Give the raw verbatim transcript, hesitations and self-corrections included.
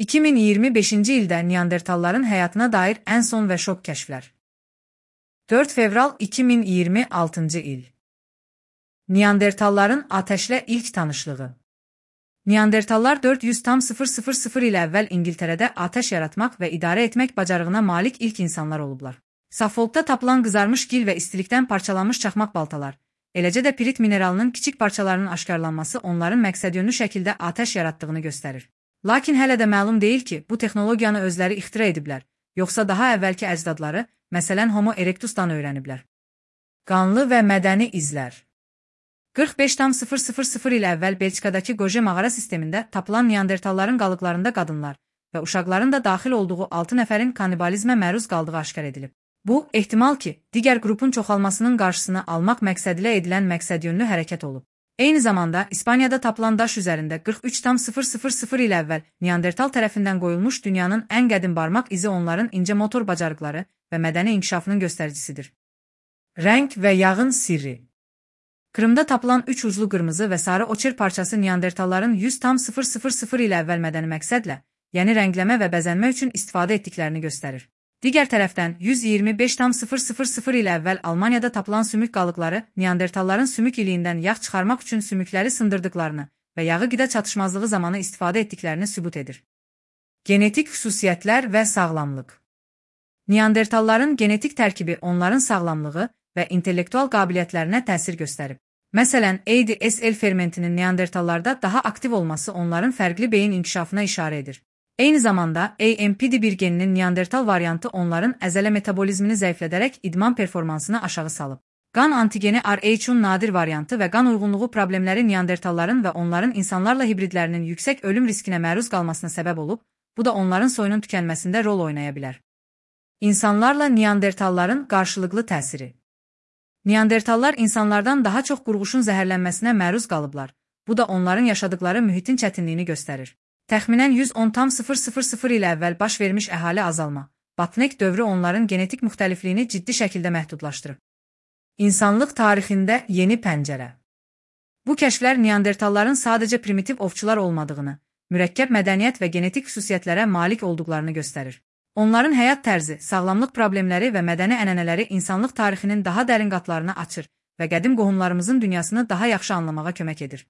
iki min iyirmi beşinci ildə Neandertalların həyatına dair ən son və şok kəşflər. dörd fevral iki min iyirmi altıncı il. Neandertalların atəşlə ilk tanışlığı. Neandertallar dörd yüz il əvvəl İngiltərədə atəş yaratmaq və idarə etmək bacarığına malik ilk insanlar olublar. Suffolkda tapılan qızarmış gil və istilikdən parçalanmış çaxmaq baltalar, eləcə də pirit mineralının kiçik parçalarının aşkarlanması onların məqsədyönlü şəkildə atəş yaratdığını göstərir. Lakin hələ də məlum deyil ki, bu texnologiyanı özləri ixtira ediblər, yoxsa daha əvvəlki əcdadları, məsələn Homo erectusdan öyrəniblər. Qanlı və mədəni izlər. qırx beş il əvvəl Belçikadakı Qoje mağara sistemində tapılan Neandertalların qalıqlarında qadınlar və uşaqların da daxil olduğu altı nəfərin kannibalizmə məruz qaldığı aşkar edilib. Bu, ehtimal ki, digər qrupun çoxalmasının qarşısını almaq məqsədilə edilən məqsədyönlü hərəkət olub. Eyni zamanda, İspaniyada tapılan daş üzərində qırx üç il əvvəl Neandertal tərəfindən qoyulmuş dünyanın ən qədim barmaq izi onların incə motor bacarıqları və mədəni inkişafının göstəricisidir. Rəng və yağın sirri. Krımda tapılan üç uclu qırmızı və sarı oçer parçası Neandertalların yüz il əvvəl mədəni məqsədlə, yəni rəngləmə və bəzənmə üçün istifadə etdiklərini göstərir. Digər tərəfdən, yüz iyirmi beş il əvvəl Almaniyada tapılan sümük qalıqları Neandertalların sümük iliyindən yağ çıxarmaq üçün sümükləri sındırdıqlarını və yağı qida çatışmazlığı zamanı istifadə etdiklərini sübut edir. Genetik xüsusiyyətlər və sağlamlıq. Neandertalların genetik tərkibi onların sağlamlığı və intellektual qabiliyyətlərinə təsir göstərib. Məsələn, A D S L fermentinin Neandertallarda daha aktiv olması onların fərqli beyin inkişafına işarə edir. Eyni zamanda, A M P D bir geninin Neandertal variantı onların əzələ metabolizmini zəiflədərək idman performansını aşağı salıb. Qan antigeni R H-un nadir variantı və qan uyğunluğu problemləri Neandertalların və onların insanlarla hibridlərinin yüksək ölüm riskinə məruz qalmasına səbəb olub, bu da onların soyunun tükənməsində rol oynaya bilər. İnsanlarla Neandertalların qarşılıqlı təsiri. Neandertallar insanlardan daha çox qurğuşun zəhərlənməsinə məruz qalıblar, bu da onların yaşadıkları mühitin çətinliyini göstərir. Təxminən yüz on il əvvəl baş vermiş əhali azalma, Batnek dövrü onların genetik müxtəlifliyini ciddi şəkildə məhdudlaşdırıb. İnsanlıq tarixində yeni pəncərə. Bu kəşflər Neandertalların sadəcə primitiv ovçular olmadığını, mürəkkəb mədəniyyət və genetik xüsusiyyətlərə malik olduqlarını göstərir. Onların həyat tərzi, sağlamlıq problemləri və mədəni ənənələri insanlıq tarixinin daha dərin qatlarını açır və qədim qohumlarımızın dünyasını daha yaxşı anlamağa kömək edir.